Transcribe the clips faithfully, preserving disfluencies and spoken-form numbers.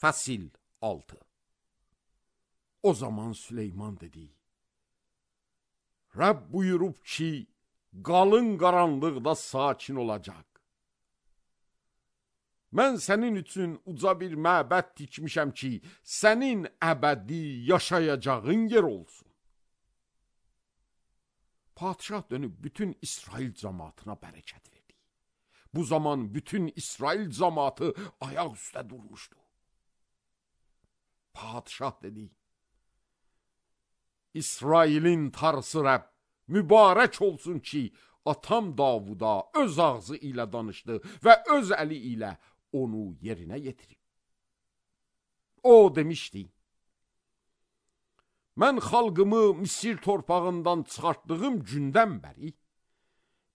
Fəsil altı. O zaman Süleyman dedi: Rəbb buyurub ki, qalın qaranlıqda sakin olacaq. Mən sənin üçün uca bir məbəd tikmişəm ki, sənin əbədi yaşayacağın yer olsun. Padişah dönüb bütün İsrail cəmaatına bərəkət verdi. Bu zaman bütün İsrail cəmaatı ayaq üstə durmuşdu. Padişah dedi: İsrailin Tanrısı Rəbb mübarək olsun ki, atam Davuda öz ağzı ilə danışdı və öz əli ilə onu yerinə yetirib. O demişdi: Mən xalqımı Misir torpağından çıxartdığım gündən bəri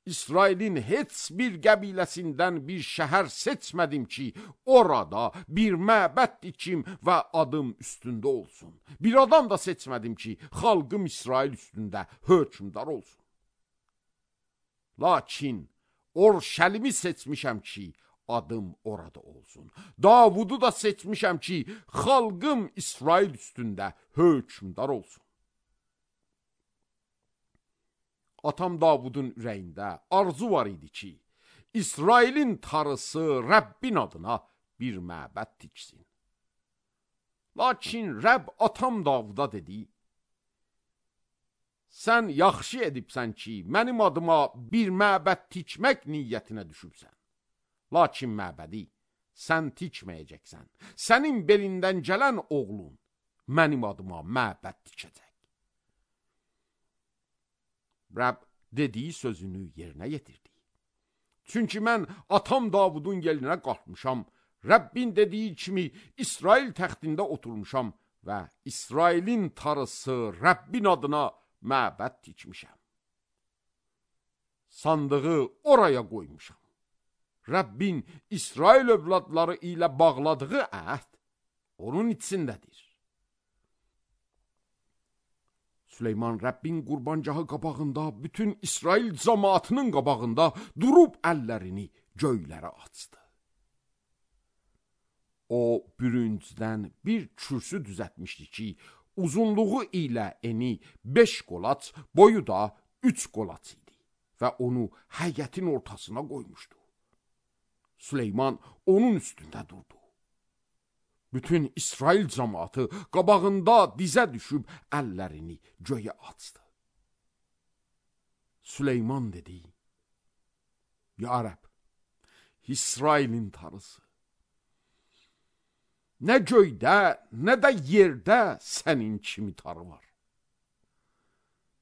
İsrailin heç bir qəbiləsindən bir şəhər seçmədim ki, orada bir məbəd dikim və adım üstündə olsun. Bir adam da seçmədim ki, xalqım İsrail üstündə hökmdar olsun. Lakin Orşəlimi seçmişəm ki, adım orada olsun. Davudu da seçmişəm ki, xalqım İsrail üstündə hökmdar olsun. Atam Davudun ürəyində arzu var idi ki, İsrailin Tanrısı Rəbbin adına bir məbəd tiksin. Lakin Rəbb atam Davuda dedi: Sən yaxşı edibsən ki, mənim adıma bir məbəd tikmək niyyətinə düşübsən. Lakin məbədi sən tikməyəcəksən. Sənin belindən gələn oğlun mənim adıma məbəd tikəcək. Rəbb dediyi sözünü yerinə yetirdi. Çünki mən atam Davudun yelinə qalxmışam, Rəbbin dediyi kimi İsrail təxtində oturmuşam və İsrailin Tanrısı Rəbbin adına məbəd tikmişəm. Sandığı oraya qoymuşam. Rəbbin İsrail övladları ilə bağladığı əhd onun içindədir. Süleyman Rəbbin qurbancahı qabağında, bütün İsrail cəmaatının qabağında durub əllərini göylərə açdı. O, bürüncdən bir kürsü düzətmişdi ki, uzunluğu ilə eni beş qolaç, boyu da üç qolaç idi və onu həyətin ortasına qoymuşdu. Süleyman onun üstündə durdu. Bütün İsrail cəmaatı qabağında dizə düşüb əllərini göyə açdı. Süleyman dedi: Ya Rəbb, İsrailin Tanrısı, nə göydə, nə də yerdə sənin kimi Tanrı var.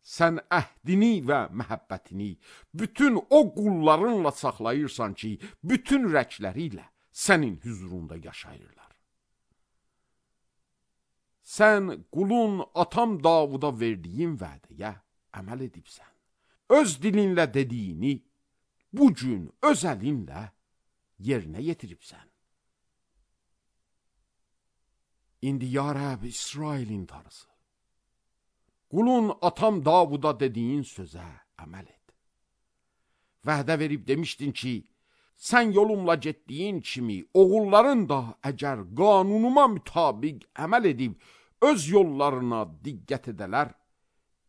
Sən əhdini və məhəbbətini bütün o qullarınla saxlayırsan ki, bütün rəkləri ilə sənin hüzurunda yaşayırlar. Sən qulun atam Davuda verdiyin vədəyə əməl edibsən. Öz dilinlə dediyini bugün öz əlinlə yerinə yetiribsən. İndi ya Rəbb, İsrailin Tanrısı, qulun atam Davuda dediyin sözə əməl et. Vədə verib demişdin ki, sən yolumla getdiyin kimi oğulların da əgər qanunuma mütabiq əməl edib öz yollarına diqqət edələr,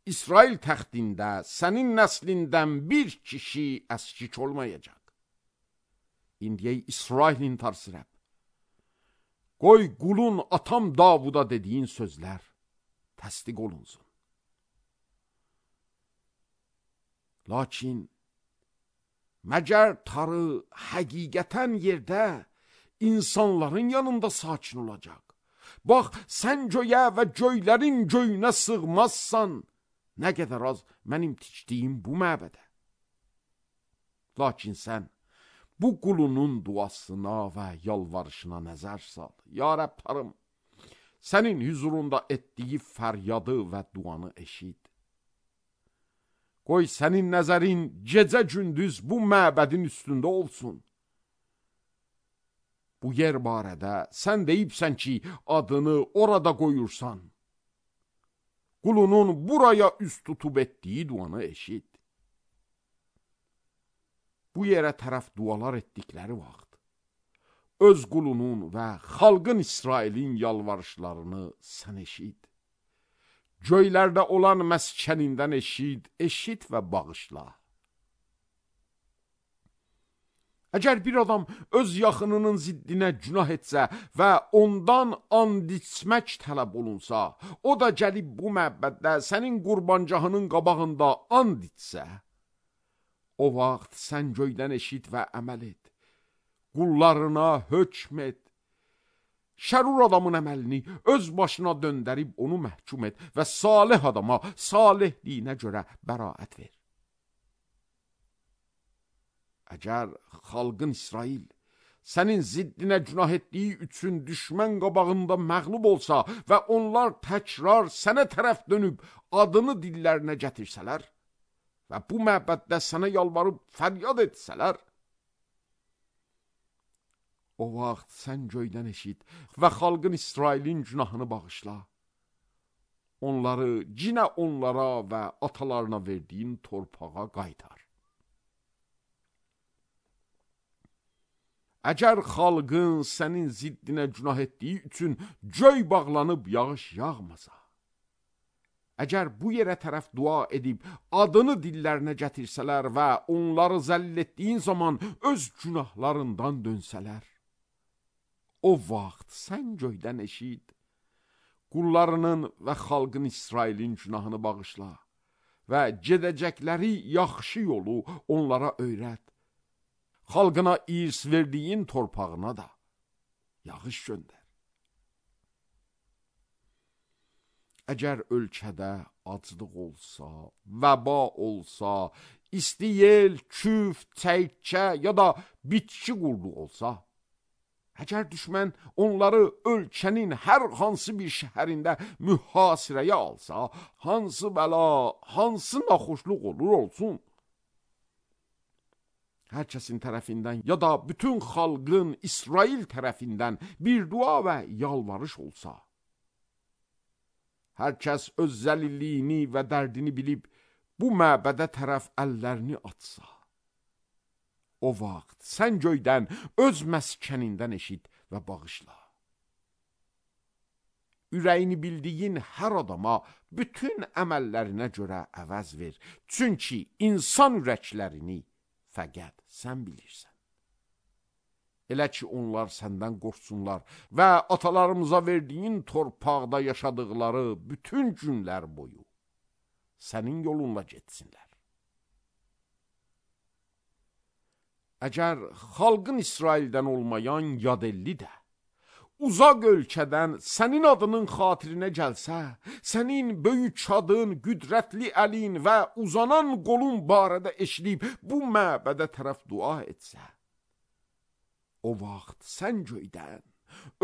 İsrail təxtində sənin nəslindən bir kişi əskik olmayacaq. İndi ey İsrailin Tanrısı Rəbb, qoy qulun atam Davuda dediyin sözlər təsdiq olunsun. Lakin məgər Tanrı həqiqətən yerdə insanların yanında sakin olacaq? Bax, sən göyə və göylərin göyünə sığmazsan, nə qədər az mənim tikdiyim bu məbədə. Lakin sən bu qulunun duasına və yalvarışına nəzər sal. Ya Rəbb Tanrım, sənin hüzurunda etdiyi fəryadı və duanı eşit. Qoy sənin nəzərin gecə gündüz bu məbədin üstündə olsun. Bu yer barədə sən deyibsən ki, adını orada qoyursan. Qulunun buraya üst tutub etdiyi duanı eşit. Bu yerə tərəf dualar etdikləri vaxt, öz qulunun və xalqın İsrailin yalvarışlarını sən eşid. Göylərdə olan məskənindən eşid, eşid və bağışla. Əgər bir adam öz yaxınının ziddinə günah etsə və ondan and içmək tələb olunsa, o da gəlib bu məbəddə sənin qurbancahının qabağında and içsə, o vaxt sən göydən eşid və əməl et. Qullarına hökm et. Şərur adamın əməlini öz başına döndərib onu məhkum et və salih adama salihliyinə görə bəraət ver. Əgər xalqın İsrail sənin ziddinə günah etdiyi üçün düşmən qabağında məğlub olsa və onlar təkrar sənə tərəf dönüb adını dillərinə gətirsələr və bu məbəddə sənə yalvarıb fəryad etsələr, o vaxt sən göydən eşid və xalqın İsrailin günahını bağışla. Onları cinə onlara və atalarına verdiyin torpağa qaytar. Əgər xalqın sənin ziddinə günah etdiyi üçün göy bağlanıb yağış yağmasa, əgər bu yerə tərəf dua edib adını dillərinə gətirsələr və onları zəll etdiyin zaman öz günahlarından dönsələr, o vaxt sən göydən eşid, qullarının və xalqın İsrailin günahını bağışla və gedəcəkləri yaxşı yolu onlara öyrət. Xalqına irs verdiyin torpağına da yağış göndər. Əgər ölkədə aclıq olsa, vəba olsa, isti yel, küf, çəykə ya da bitki qurdu olsa, əgər düşmən onları ölkənin hər hansı bir şəhərində mühasirəyə alsa, hansı bəla, hansı naxoşluq olur olsun, hər kəsin tərəfindən ya da bütün xalqın İsrail tərəfindən bir dua və yalvarış olsa, hər kəs öz zəlilliyini və dərdini bilib bu məbədə tərəf əllərini atsa, o vaxt sən göydən öz məskənindən eşid və bağışla. Ürəyini bildiyin hər adama bütün əməllərinə görə əvəz ver. Çünki insan ürəklərini fəqət sən bilirsən. Elə ki onlar səndən qorxsunlar və atalarımıza verdiyin torpaqda yaşadıqları bütün günlər boyu sənin yolunla getsinlər. Əgər xalqın İsraildən olmayan yadelli də uzaq ölkədən sənin adının xatirinə gəlsə, sənin böyük adın, qüdrətli əlin və uzanan qolun barədə eşidib bu məbədə tərəf dua etsə, o vaxt sən göydən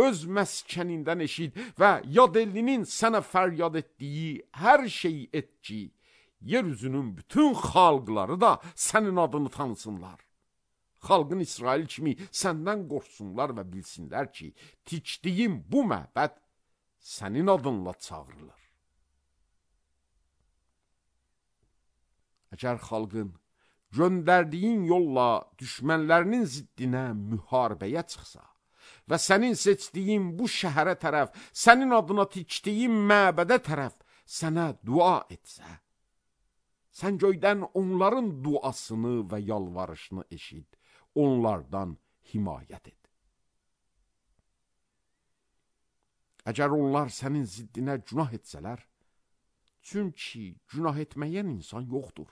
öz məskənindən eşid və yadellinin sənə fəryad etdiyi hər şeyi et ki, yeryüzünün bütün xalqları da sənin adını tanısınlar. Xalqın İsrail kimi səndən qorxsunlar və bilsinlər ki, tikdiyim bu məbəd sənin adınla çağırılır. Əgər xalqın göndərdiyin yolla düşmənlərinin ziddinə müharibəyə çıxsa və sənin seçdiyin bu şəhərə tərəf, sənin adına tikdiyin məbədə tərəf sənə dua etsə, sən göydən onların duasını və yalvarışını eşid. Onlardan himayət et. Əgər onlar sənin ziddinə günah etsələr, çünki günah etməyən insan yoxdur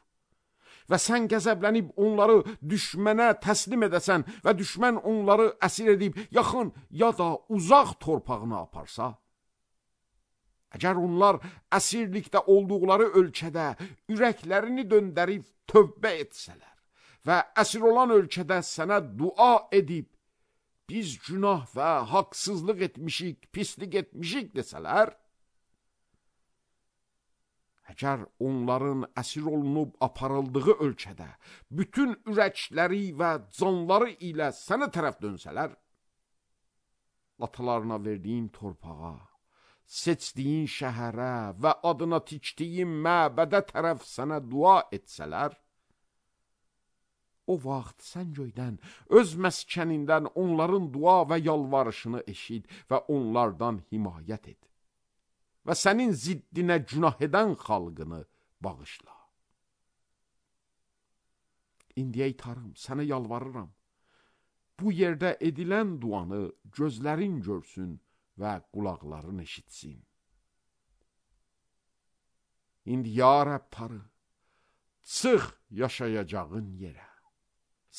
və sən qəzəblənib onları düşmənə təslim edəsən və düşmən onları əsir edib yaxın ya da uzaq torpağına aparsa, əgər onlar əsirlikdə olduqları ölkədə ürəklərini döndərib tövbə etsələr və əsir olan ölkədə sənə dua edib, biz günah və haqsızlıq etmişik, pislik etmişik desələr, əgər onların əsir olunub aparıldığı ölkədə bütün ürəkləri və canları ilə sənə tərəf dönsələr, atalarına verdiyin torpağa, seçdiyin şəhərə və adına tikdiyin məbədə tərəf sənə dua etsələr, o vaxt sən göydən, öz məskənindən onların dua və yalvarışını eşid və onlardan himayət et. Və sənin ziddinə günah edən xalqını bağışla. İndi ey Tanrım, sənə yalvarıram. Bu yerdə edilən duanı gözlərin görsün və qulaqların eşitsin. İndi ya Rəbb Tanrı, çıx yaşayacağın yerə.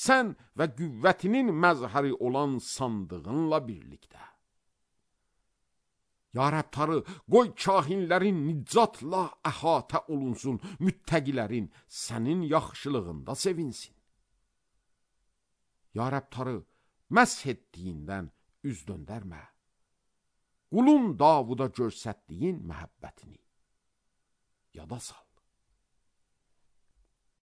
Sən və qüvvətinin məzhəri olan sandığınla birlikdə. Ya Rəbb Tanrı, qoy kahinlərin nicatla əhatə olunsun, müttəqilərin sənin yaxşılığında sevinsin. Ya Rəbb Tanrı, məsh etdiyindən üz döndərmə. Qulun Davuda göstərdiyin məhəbbətini yada sal.